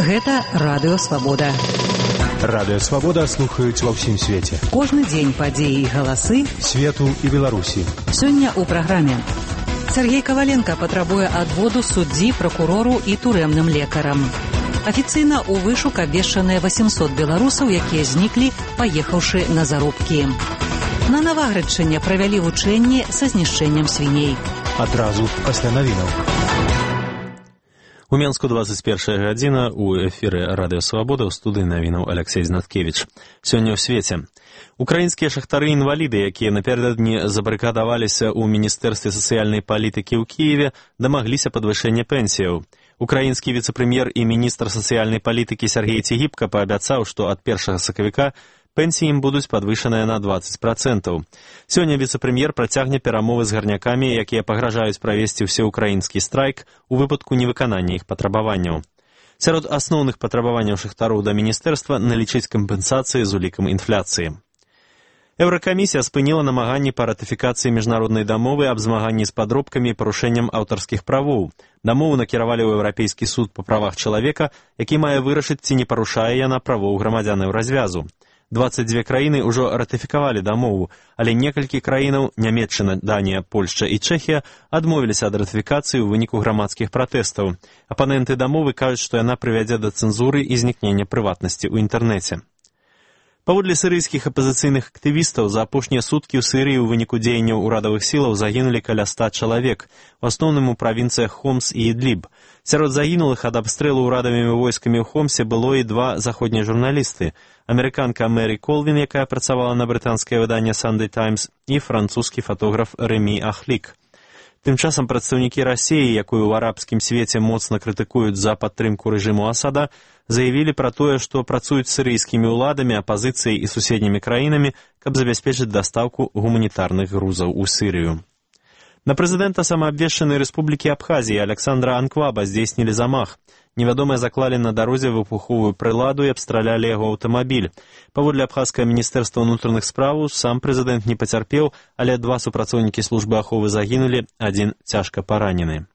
Гэта Радыё Свабода. Радыё Свабода слухаюць ва ўсім свеце. Кожны дзень падзеі і галасы свету і Беларусі. Сёння ў праграме. Сергей Коваленко патрабуе адводу суддзі, пракурору і турэмным лекарам. Афіцыйна ў вышук абвешчаныя 800 беларусаў, якія зніклі, паехаўшы на заробкі. На Наваградчыне правялі вучэнні са знішчэннем свіней. Адразу пасля навінаў. У Менску 21 гадзіна, у эфіры Радыё Свабода, ў студыі навінаў Алексей Знаткевіч. Сёння ў свеце. Украінскія шахтары-інваліды, якія напярэдадні забарыкадаваліся ў Міністэрстве сацыяльнай палітыкі ў Кіеве, дамагліся падвышэння пенсіяў. Украінскі віцэ-прэм'ер і міністр сацыяльнай палітыкі Сергей Цігіпка паабяцаў, што ад 1 сакавіка пенсіі ім будуць падвышаныя на 20%. Сёння віцэ-прэм'ер працягне перамовы з гарнякамі, якія пагражаюць правесці ўсеўкраінскі страйк у выпадку невыканання іх патрабаванняў. Сярод асноўных патрабаванняў шахтароў да міністэрства налічыць кампенсацыі з улікам інфляцыі. Еўракамісія спыніла намаганні па ратыфікацыі міжнароднай дамовы аб змаганні з падробкамі і парушэннем аўтарскіх правоў. Дамову накіравалі ў Еўрапейскі суд па правах чалавека, які мае вырашыць, ці не парушае яна правоў грамадзянаў развязу. 22 краіны ўжо ратыфікавалі дамову, але некалькі краінаў, Нямецчына, Данія, Польшча і Чэхія, адмовіліся ад ратыфікацыі ў выніку грамадскіх пратэстаў. Апаненты дамовы кажуць, што яна прывядзе да цэнзуры і знікнення прыватнасці ў інтэрнэце. Паводле сірыйскіх апазіцыйных актывістаў, за апошнія суткі ў Сірыі ў выніку дзеянняў урадавых сілаў загінулі каля 100 чалавек, у асноўным у правінцыях Хомс і Ідліб. Сярод загінулых ад абстрэлу ўрадавымі войскамі ў Хомсе было і 2 заходнія журналісты. Амерыканка Мэри Колвін, якая працавала на брытанскае выданне Sunday Times, і французскі фатограф Рэмі Ахлік. Тым часам прадстаўнікі Расіі, якую ў арабскім свеце моцна крытыкуюць за падтрымку рэжыму Асада, заявілі пра тое, што працуюць з сірыйскімі ўладамі, апазіцыяй і суседнімі краінамі, каб забяспечыць дастаўку гуманітарных грузаў у Сірыю. На прэзідэнта самаабвешчанай рэспублікі Абхазіі Александра Анкваба здзейснілі замах. Невядомыя заклалі на дарозе выбуховую прыладу і абстралялі яго аўтамабіль. Паводле абхазскае міністэрства ўнутраных спраў, сам прэзідэнт не пацярпеў, але 2 супрацоўнікі службы аховы загінулі, 1 цяжка паранены.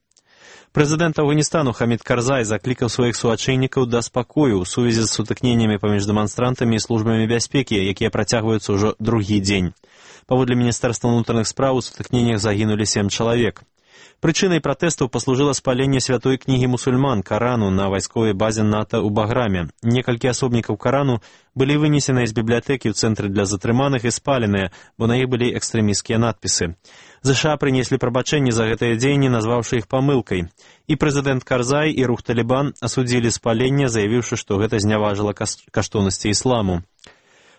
Прэзідэнт Афганістану Хамід Карзай заклікаў сваіх суачэйнікаў да спакою ў сувязі з сутыкненнямі паміж дэманстрантамі і службамі бяспекі, якія працягваюцца ўжо другі дзень. Паводле міністэрства ўнутраных спраў, у сутыкненнях загінулі 7 чалавек. Прычынай пратэстаў паслужыла спаленне святой кнігі мусульман Карану на вайсковай базе НАТО ў Баграме. Некалькі асобнікаў Карану былі вынесеныя з бібліятэкі ў цэнтры для затрыманых і спаленыя, бо на іх былі экстрэмісцкія надпісы. ЗША прынеслі прабачэнні за гэтыя дзеянні, назваўшы іх памылкай. І прэзідэнт Карзай, і рух Талібан асудзілі спаленне, заявіўшы, што гэта зняважыла каштоўнасці ісламу.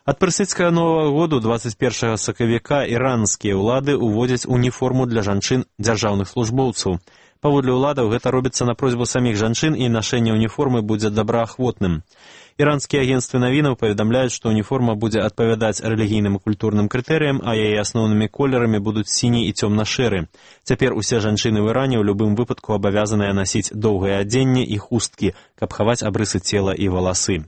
Ад персідскага Новага году 21 сакавіка іранскія ўлады ўводзяць уніформу для жанчын дзяржаўных службоўцаў. Паводле ўладаў гэта робіцца на просьбу саміх жанчын, і нашэнне уніформы будзе добраахвотным. Іранскія агенцтвы навінаў паведамляюць, што уніформа будзе адпавядаць рэлігійным і культурным крытэрыям, а яе асноўнымі колерамі будуць сіні і цёмна-шэры. Цяпер усе жанчыны ў Іране ў любым выпадку абавязаныя насіць доўгае адзенне і хусткі, каб хаваць абрысы цела і валасы.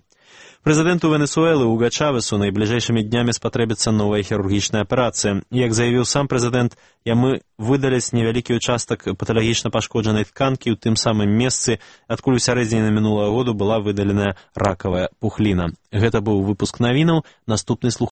Прэзідэнту Венесуэлы Уга Чавесу найбліжэйшымі днямі спатрэбіцца новая хірургічная аперацыя. Як заявіў сам прэзідэнт, яму выдаляць невялікі ўчастак паталагічна пашкоджанай тканкі ў тым самым месцы, адкуль у сярэдзіне мінулага году была выдаленая ракавая пухліна. Гэта быў выпуск навінаў, наступны слух